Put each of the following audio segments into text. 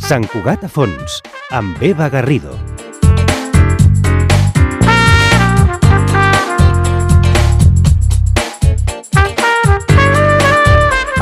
Sant Cugat a fons, amb Eva Garrido.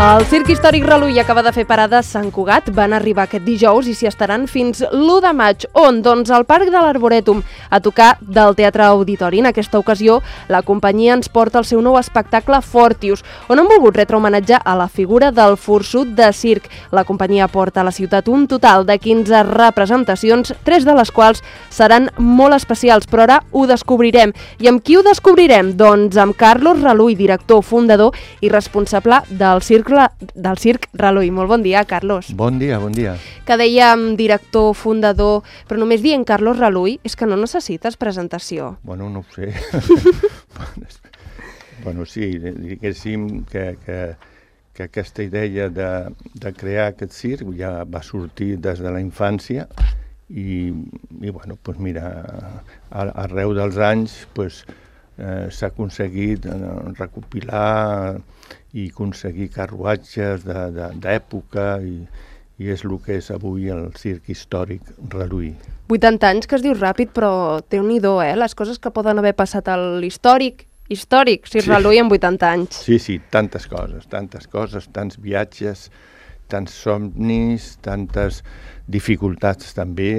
El Circ Històric Relull acaba de fer parada a Sant Cugat. Van arribar aquest dijous i s'hi estaran fins l'1 de maig. On? Doncs al Parc de l'Arborètum, a tocar del Teatre Auditori. En aquesta ocasió, la companyia ens porta el seu nou espectacle Fortius, on han volgut retre homenatge a la figura del forçut de circ. La companyia porta a la ciutat un total de 15 representacions, 3 de les quals seran molt especials, però ara ho descobrirem. I amb qui ho descobrirem? Doncs amb Carlos Relull, director, fundador i responsable del Circ Relull. Molt bon dia, Carlos. Bon dia. Que dèiem director, fundador, però només dient Carlos Relull és que no necessites presentació. Bueno, no ho sé. Bueno, sí, diguéssim que aquesta idea de crear aquest circ ja va sortir des de la infància i bueno, doncs mira, arreu dels anys s'ha aconseguit recopilar i aconseguir carruatges d'època i és el que és avui el Circ Històric Relull. 80 anys, que es diu ràpid, però Déu-n'hi-do, les coses que poden haver passat a l'històric Circ Relull en 80 anys. Sí, tantes coses, tants viatges, tants somnis, tantes dificultats també.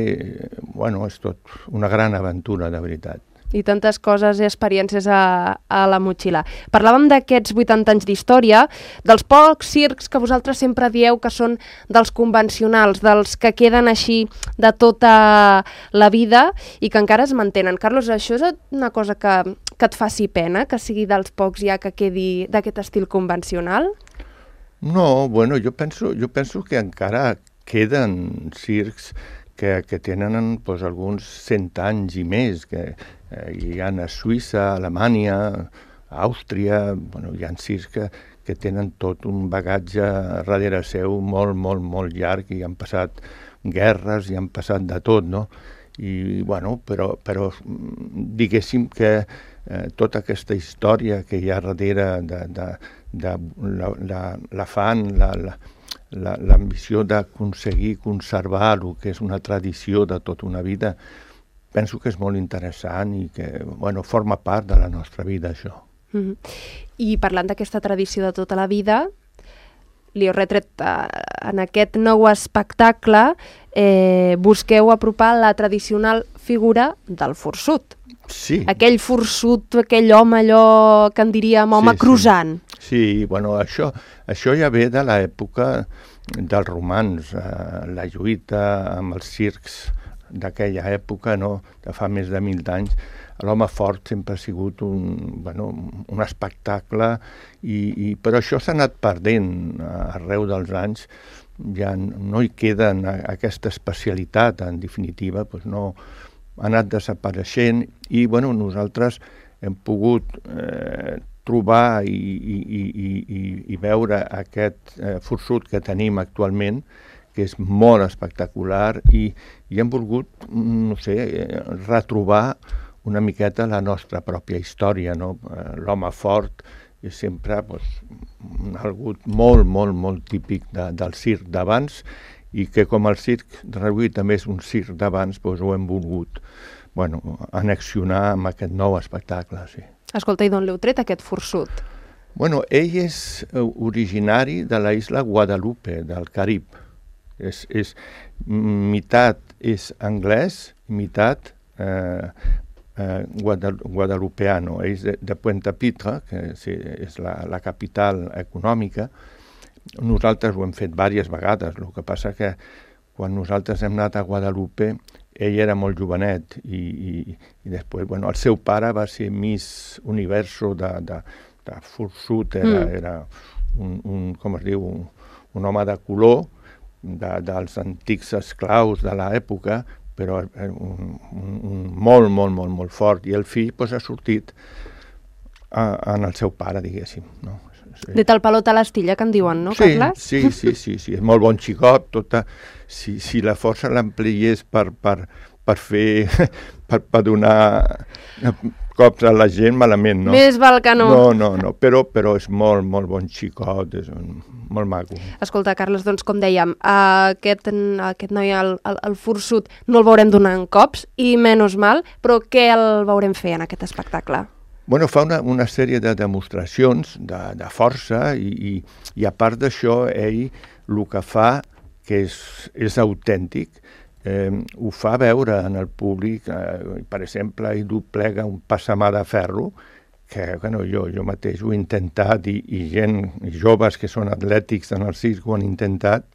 Bueno, és tot una gran aventura, de veritat. I tantes coses i experiències a la motxilla. Parlàvem d'aquests 80 anys d'història, dels pocs circs que vosaltres sempre dieu que són dels convencionals, dels que queden així de tota la vida i que encara es mantenen. Carlos, això és una cosa que et faci pena, que sigui dels pocs ja que quedi d'aquest estil convencional? No, bueno, jo penso que encara queden circs que tenen alguns 100 anys i més, que hi ha a Suïssa, a Alemanya, a Àustria, bueno, hi ha circs que tenen tot un bagatge darrere seu molt llarg i han passat guerres i han passat de tot, no? I, bueno, però diguéssim que tota aquesta història que hi ha darrere de l'afany, l'ambició d'aconseguir conservar el que és una tradició de tota una vida, penso que és molt interessant i que forma part de la nostra vida, això. I parlant d'aquesta tradició de tota la vida, li heu retret en aquest nou espectacle, busqueu apropar la tradicional figura del forçut. Sí. Aquell forçut, aquell home allò que en diríem home crossant. Sí, bueno, això ja ve de l'època dels romans, la lluita amb els circs d'aquella època, no? De fa més de 1.000 anys. L'home fort sempre ha sigut un espectacle, però això s'ha anat perdent arreu dels anys. Ja no hi queda aquesta especialitat, en definitiva, no ha anat desapareixent i nosaltres hem pogut trobar i veure aquest forçut que tenim actualment, que és molt espectacular i hem volgut, no sé, retrobar una miqueta la nostra pròpia història, no? L'home fort és sempre algú molt típic del circ d'abans i que com el Circ Relull també és un circ d'abans, ho hem volgut annexionar amb aquest nou espectacle, sí. Escolta, i d'on l'heu tret, aquest forçut? Ell és originari de la isla Guadalupe, del Carib. Meitat és anglès, meitat guadalupeano. És de Puente Pitre, que és la capital econòmica. Nosaltres ho hem fet diverses vegades, el que passa que quan nosaltres hem anat a Guadalupe ell era molt jovenet i després, el seu pare va ser Miss Universo de forçut, era com es diu, un home de color dels antics esclaus de l'època, però molt fort, i el fill ha sortit en el seu pare, diguéssim, no? De tal palo tal astilla, que en diuen, no, Carles? Sí, és molt bon xicot, si la força l'ampliés per fer, per donar cops a la gent malament, no? Més val que no. No, però és molt, molt bon xicot, és molt maco. Escolta, Carles, doncs com dèiem, aquest noi, el forçut, no el veurem donant cops, i menys mal, però què el veurem fer en aquest espectacle? Bueno, fa una sèrie de demostracions de força i a part d'això, ell el que fa, que és autèntic, ho fa veure en el públic, per exemple, ell doblega un passamà de ferro, que bueno, jo mateix ho he intentat i gent, joves que són atlètics en el circ ho han intentat,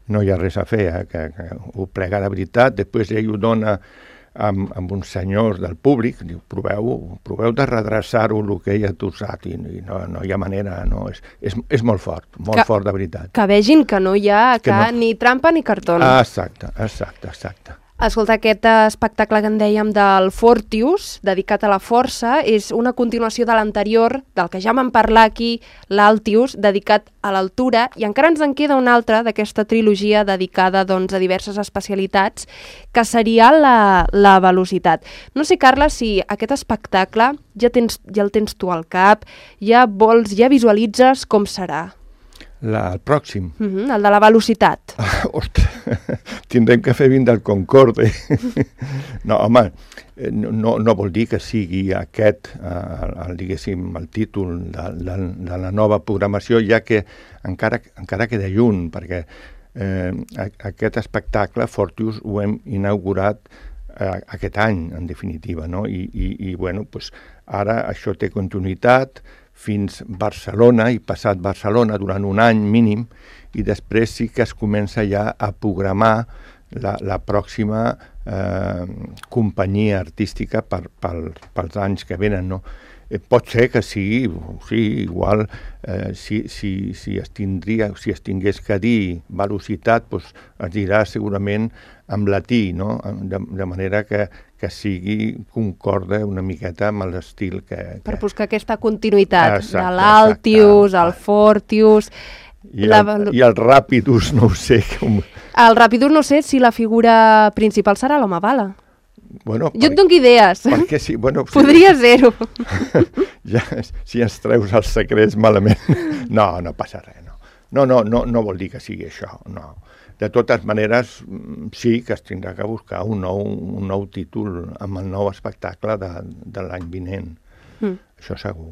no hi ha res a fer, que ho plega de veritat, després ell ho dona amb uns senyors del públic, diu, proveu de redreçar-ho el que ell ha tossat, i no hi ha manera, no, és molt fort de veritat. Que vegin que no hi ha ni trampa ni cartó. Exacte. Escolta, aquest espectacle que en dèiem del Fortius, dedicat a la força, és una continuació de l'anterior, del que ja vam parlar aquí, l'Altius, dedicat a l'altura, i encara ens en queda un altre d'aquesta trilogia dedicada doncs, a diverses especialitats, que seria la velocitat. No sé, Carles, si aquest espectacle ja el tens tu al cap, ja visualitzes com serà. El pròxim. El de la velocitat. Ostres, tindrem que fer vint del Concorde. No, home, no vol dir que sigui aquest, diguéssim, el títol de la nova programació, ja que encara queda lluny, perquè aquest espectacle, Fortius, ho hem inaugurat aquest any, en definitiva, no? I bueno, doncs, ara això té continuïtat, fins Barcelona i passat Barcelona durant un any mínim, i després sí que es comença ja a programar la pròxima companyia artística pels anys que venen, no? Pot ser que sí, igual si es tingués que dir velocitat, doncs es dirà segurament en latí, no? De manera que sigui concorde una miqueta amb l'estil que... Per buscar aquesta continuïtat de l'Altius, el Fortius... I el Ràpidus, no ho sé. El Ràpidus no sé si la figura principal serà l'home bala. Bueno, jo et dono idees. Perquè sí, bueno, podria ser-ho. Ja, si ens treus els secrets malament. No passa res, no. No vol dir que sigui això, no. De totes maneres, sí que es tindrà que buscar un nou títol amb el nou espectacle de l'any vinent. Això segur.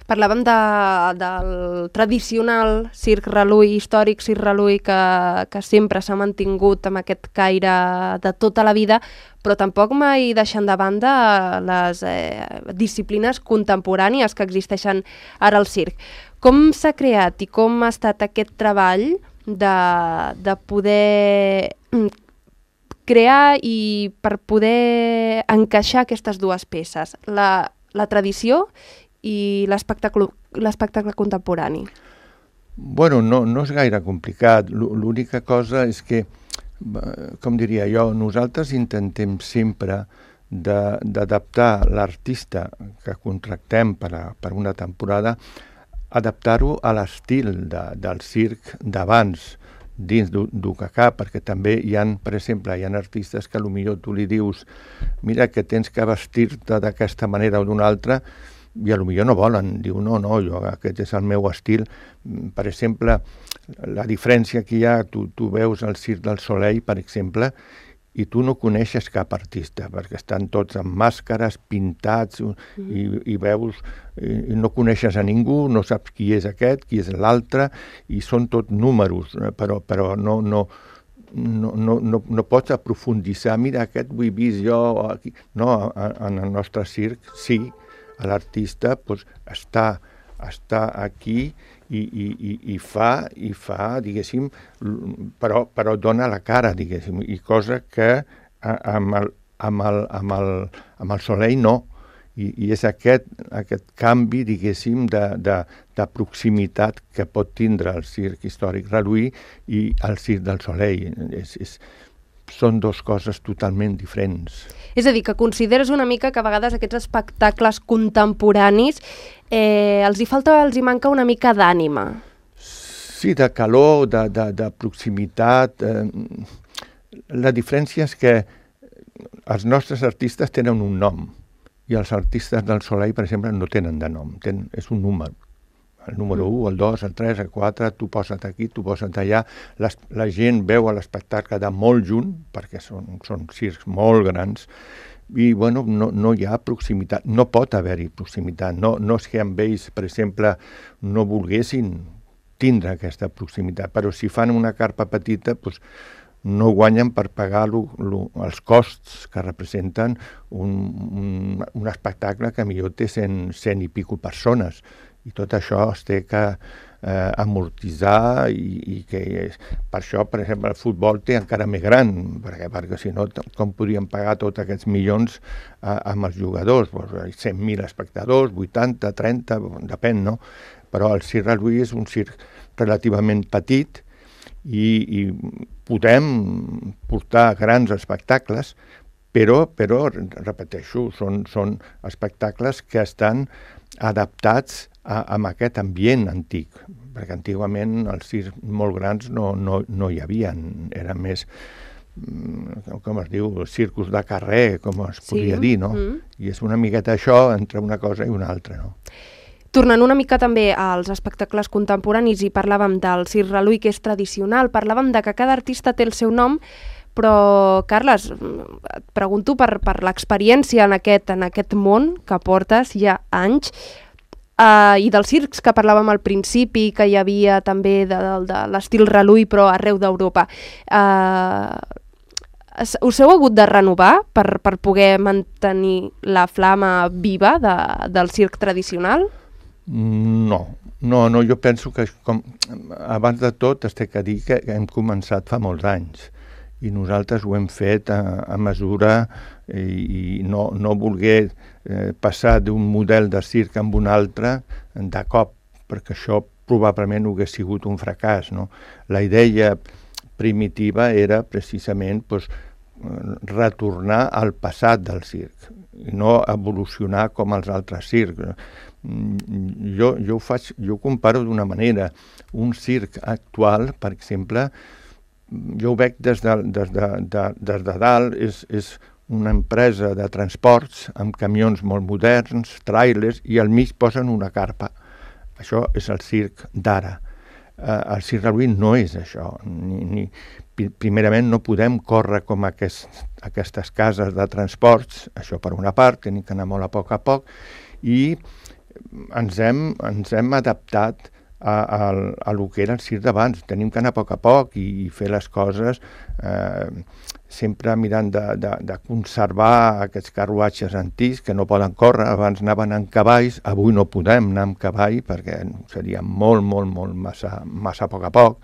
Parlàvem del tradicional circ Relull, històric circ Relull, que sempre s'ha mantingut amb aquest caire de tota la vida, però tampoc mai deixant de banda les disciplines contemporànies que existeixen ara al circ. Com s'ha creat i com ha estat aquest treball de poder crear i per poder encaixar aquestes dues peces, la tradició i l'espectacle contemporani? Bueno, no és gaire complicat. L'única cosa és que, com diria jo, nosaltres intentem sempre d'adaptar l'artista que contractem per una temporada, adaptar-ho a l'estil del circ d'abans, dins d'UCACA, perquè també hi ha, per exemple, artistes que potser tu li dius mira que tens que vestir-te d'aquesta manera o d'una altra, i potser no volen, diu no, jo, aquest és el meu estil. Per exemple, la diferència que hi ha, tu veus el Circ del Soleil, per exemple, i tu no coneixes cap artista, perquè estan tots amb màscares, pintats, i veus, i no coneixes a ningú, no saps qui és aquest, qui és l'altre, i són tot números, però no pots aprofunditzar, mira, aquest ho he vist jo, aquí. No, en el nostre circ, sí, l'artista està aquí i fa, diguéssim, però dona la cara, diguéssim, i cosa que amb el Soleil no. I és aquest canvi, diguéssim, de proximitat que pot tindre el circ històric Relull i el Circ del Soleil. Són dues coses totalment diferents. És a dir, que consideres una mica que a vegades aquests espectacles contemporanis els hi manca una mica d'ànima. Sí, de calor, de proximitat. La diferència és que els nostres artistes tenen un nom i els artistes del Soleil, per exemple, no tenen de nom, és un número. El número 1, el 2, el 3, el 4, tu posa't aquí, tu posa't allà. La gent veu l'espectacle de molt junt, perquè són circs molt grans, i bueno, no hi ha proximitat, no pot haver-hi proximitat. No és que amb ells, per exemple, no volguessin tindre aquesta proximitat, però si fan una carpa petita, doncs no guanyen per pagar els costs que representen un espectacle que millor té 100 i pico persones. I tot això es té que amortitzar i que per això, per exemple, el futbol té encara més gran, perquè si no, com podríem pagar tots aquests milions amb els jugadors? 100.000 espectadors, 80, 30, depèn, no? Però el Circ Reluí és un circ relativament petit i podem portar grans espectacles, però repeteixo, són espectacles que estan adaptats a aquest ambient antic, perquè antigament els circs molt grans no hi havia, eren més, com es diu, circus de carrer, com es podria dir, no? I és una miqueta això entre una cosa i una altra, no? Tornant una mica també als espectacles contemporanis i parlàvem del Circ Reluí, que és tradicional, parlàvem de que cada artista té el seu nom, però, Carles, et pregunto per l'experiència en aquest món que portes ja anys, i dels circs que parlàvem al principi, que hi havia també de l'estil Reluí, però arreu d'Europa. Us heu hagut de renovar per poder mantenir la flama viva del circ tradicional? No, jo penso que abans de tot es té que dir que hem començat fa molts anys i nosaltres ho hem fet a mesura i no voler passar d'un model de circ amb un altre de cop, perquè això probablement hauria sigut un fracàs, no? La idea primitiva era precisament retornar al passat del circ i no evolucionar com els altres circs. Jo ho comparo d'una manera. Un circ actual, per exemple, jo ho veig des de dalt, és una empresa de transports amb camions molt moderns, tràilers, i al mig posen una carpa. Això és el circ d'ara. El Circ Reluí no és això. Primerament no podem córrer com aquestes cases de transports, això per una part, tenim que anar molt a poc, i ens hem adaptat a lo que era el circ d'abans. Tenim que anar a poc i fer les coses sempre mirant de conservar aquests carruatges antics que no poden córrer. Abans anaven en cavalls, avui no podem anar amb cavall perquè seria molt massa a poc,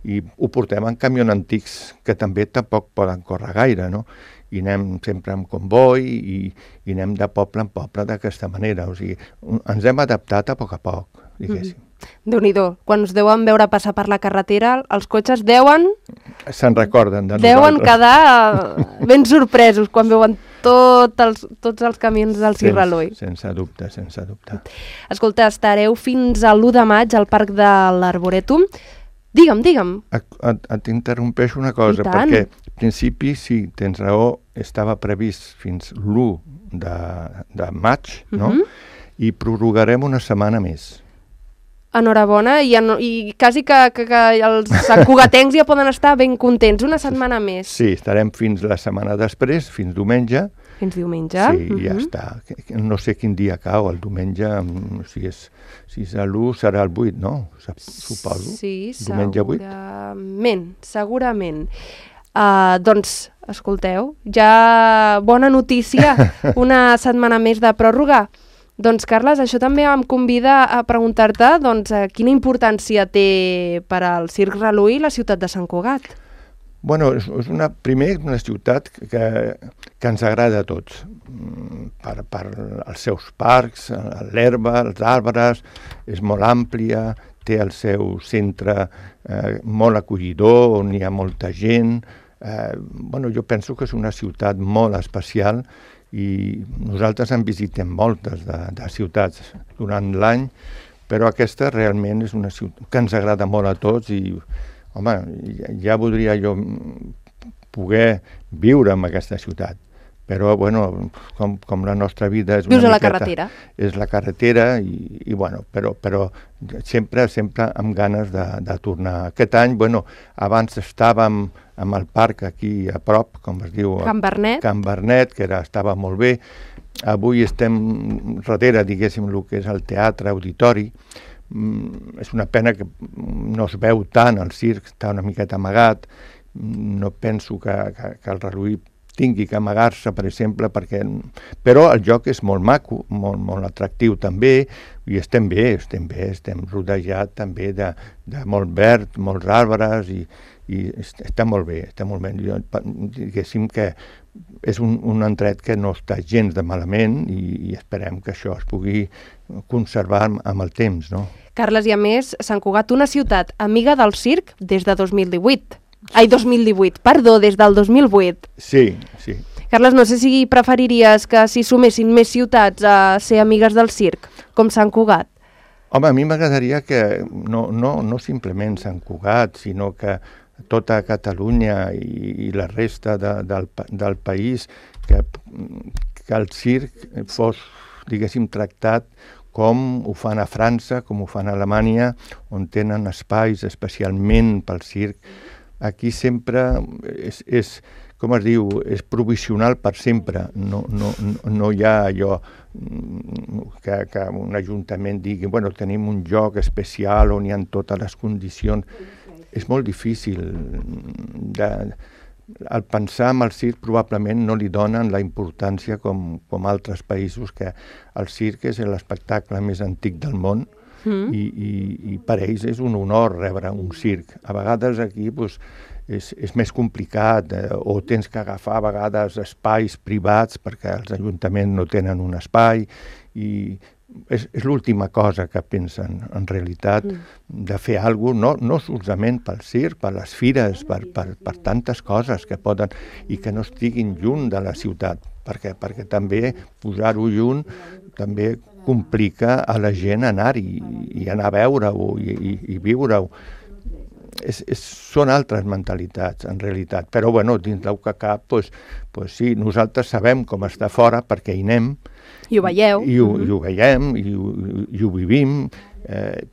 i ho portem en camions antics que també tampoc poden córrer gaire, no? I anem sempre amb comboi i anem de poble en poble d'aquesta manera. O sigui, ens hem adaptat a poc, diguéssim. Déu-n'hi-do, quan us deuen veure passar per la carretera, els cotxes se'n recorden de nosaltres. Deuen quedar ben sorpresos quan veuen tots els camions del Circ Reluí. Sense dubte. Escolta, estareu fins a l'1 de maig al Parc de l'Arborètum. Digue'm. Et interrompeixo una cosa, perquè al principi, sí, tens raó, estava previst fins l'1 de maig, no? I prorrogarem una setmana més. Enhorabona, i quasi que els santcugatencs ja poden estar ben contents, una setmana més. Sí, estarem fins la setmana després, fins diumenge. Fins diumenge? Sí, ja està. No sé quin dia cau, el diumenge, si és l'1 serà el 8, no? Suposo. Sí, segurament. Doncs, escolteu, ja bona notícia, una setmana més de pròrroga. Doncs, Carles, això també em convida a preguntar-te quina importància té per al Circ Reluí la ciutat de Sant Cugat. Bueno, és una ciutat que ens agrada a tots, per els seus parcs, l'herba, els arbres, és molt àmplia, té el seu centre molt acollidor, on hi ha molta gent. Jo penso que és una ciutat molt especial i nosaltres en visitem moltes de ciutats durant l'any, però aquesta realment és una ciutat que ens agrada molt a tots i, home, ja voldria jo poder viure en aquesta ciutat, però bueno, com la nostra vida és una miqueta... la carretera. És la carretera i bueno, però sempre amb ganes de tornar. Aquest any, bueno, abans estàvem amb el parc aquí a prop, com es diu... Can Bernet. Can Bernet, que estava molt bé. Avui estem darrere, diguéssim, el que és el teatre auditori. És una pena que no es veu tant, el circ està una miqueta amagat. No penso que el Reluí tingui que amagar-se, per exemple, però el joc és molt maco, molt atractiu també, i estem bé, estem rodejats també de molt verd, molts arbres, i està molt bé, Jo, diguéssim que és un endret que no està gens de malament i esperem que això es pugui conservar amb el temps, no? Carles, i a més, Sant Cugat, una ciutat amiga del circ des de 2018. Ai, 2018, perdó, des del 2008. Sí. Carles, no sé si preferiries que s'hi sumessin més ciutats a ser amigues del circ, com Sant Cugat. Home, a mi m'agradaria que no simplement Sant Cugat, sinó que tota Catalunya i la resta del país, que el circ fos, diguéssim, tractat com ho fan a França, com ho fan a Alemanya, on tenen espais especialment pel circ. Aquí sempre és com es diu, és provisional per sempre. No hi ha allò que un ajuntament digui, bueno, tenim un lloc especial on hi ha totes les condicions. És molt difícil. Al pensar en el circ probablement no li donen la importància com altres països, que el circ és l'espectacle més antic del món, i per ells és un honor rebre un circ. A vegades aquí és més complicat, o tens que agafar a vegades espais privats perquè els ajuntaments no tenen un espai, i és l'última cosa que pensen en realitat, de fer alguna cosa, no solament pel circ, per les fires, per tantes coses que poden, i que no estiguin lluny de la ciutat, perquè també posar-ho lluny també complica a la gent anar-hi i anar a veure-ho i viure-ho. Són altres mentalitats, en realitat. Però, bueno, dins del que cap, sí, nosaltres sabem com està fora perquè hi anem. I ho veieu. I ho veiem, i ho vivim,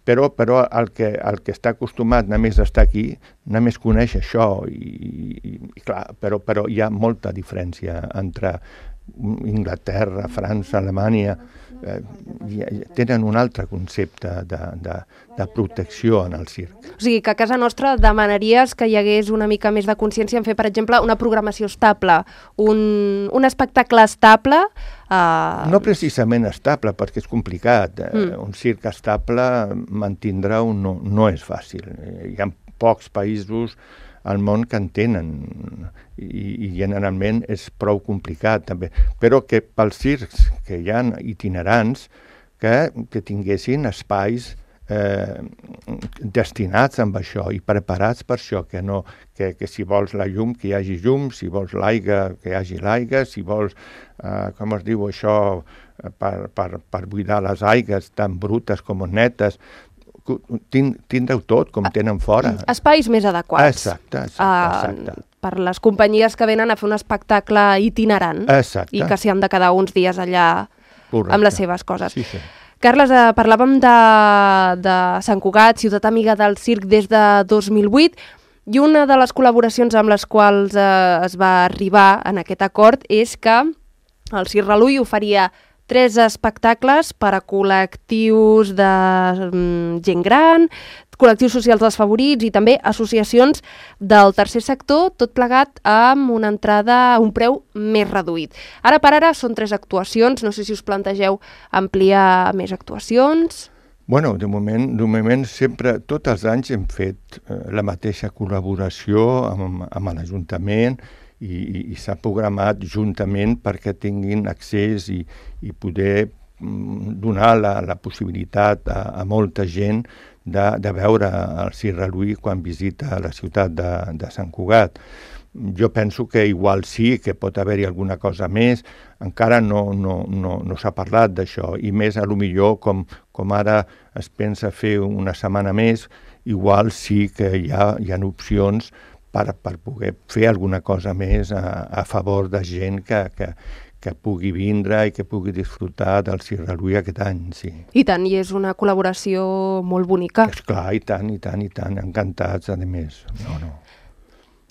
però el que està acostumat només a estar aquí, només coneix això, i clar, però hi ha molta diferència entre Inglaterra, França, Alemanya, tenen un altre concepte de protecció en el circ. O sigui, que a casa nostra demanaries que hi hagués una mica més de consciència en fer, per exemple, una programació estable, un espectacle estable... No precisament estable, perquè és complicat. Un circ estable mantindre-ho no és fàcil. Hi ha pocs països al món que en tenen, i generalment és prou complicat també, però que pels circs que hi ha itinerants que tinguessin espais destinats amb això i preparats per això, que si vols la llum, que hi hagi llum, si vols l'aigua, que hi hagi l'aigua, si vols, com es diu això, per buidar les aigües tan brutes com netes, tindreu tot, com tenen fora. Espais més adequats. Exacte. Per les companyies que venen a fer un espectacle itinerant. Exacte. I que s'hi han de quedar uns dies allà. Correcte. Amb les seves coses. Sí. Carles, parlàvem de Sant Cugat, ciutat amiga del circ des de 2008, i una de les col·laboracions amb les quals es va arribar en aquest acord és que el Circ Reluí oferia 3 espectacles per a col·lectius de gent gran, col·lectius socials desfavorits i també associacions del tercer sector, tot plegat amb una entrada a un preu més reduït. Ara per ara són 3 actuacions, no sé si us plantegeu ampliar més actuacions. Bueno, de moment sempre, tots els anys hem fet la mateixa col·laboració amb l'Ajuntament, i s'ha programat juntament perquè tinguin accés i poder donar la possibilitat a molta gent de veure el Circ Reluí quan visita la ciutat de Sant Cugat. Jo penso que igual sí, que pot haver-hi alguna cosa més, encara no s'ha parlat d'això, i més a lo millor com ara es pensa fer una setmana més, igual sí que hi ha opcions per poder fer alguna cosa més a favor de gent que pugui vindre i que pugui disfrutar del Circ Relull aquest any, sí. I tant, i és una col·laboració molt bonica. Esclar, i tant, encantats, a més. No.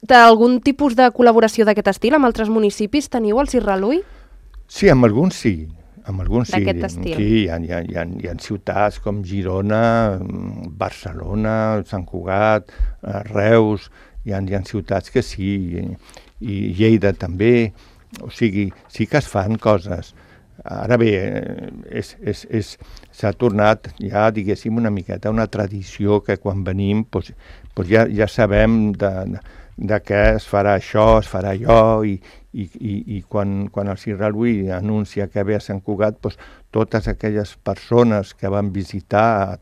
D'algun tipus de col·laboració d'aquest estil amb altres municipis teniu al Circ Relull? Sí, amb alguns sí. D'aquest estil. Sí, hi ha ciutats com Girona, Barcelona, Sant Cugat, Reus, hi ha ciutats que sí, i Lleida també, o sigui, sí que es fan coses. Ara bé, s'ha tornat ja, diguéssim, una miqueta una tradició que quan venim ja sabem de què es farà això, es farà allò, i quan el Circ Relull anuncia que ve a Sant Cugat, totes aquelles persones que van visitar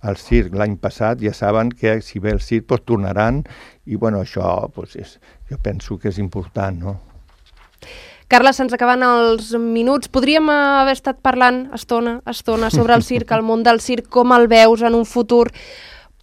el circ l'any passat ja saben que si ve el circ tornaran, i això jo penso que és important, no? Carles, se'ns acaben els minuts. Podríem haver estat parlant estona sobre el circ, el món del circ, com el veus en un futur,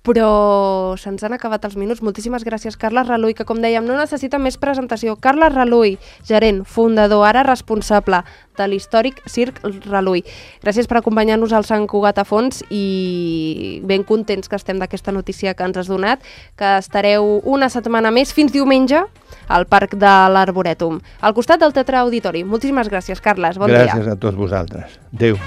però se'ns han acabat els minuts. Moltíssimes gràcies, Carles Relull, que com dèiem no necessita més presentació. Carles Relull, gerent, fundador, ara responsable de l'històric Circ Relull. Gràcies per acompanyar-nos al Sant Cugat a fons i ben contents que estem d'aquesta notícia que ens has donat, que estareu una setmana més, fins diumenge, al Parc de l'Arborètum, al costat del Teatre Auditori. Moltíssimes gràcies, Carles. Bon dia. Gràcies a tots vosaltres. Adéu.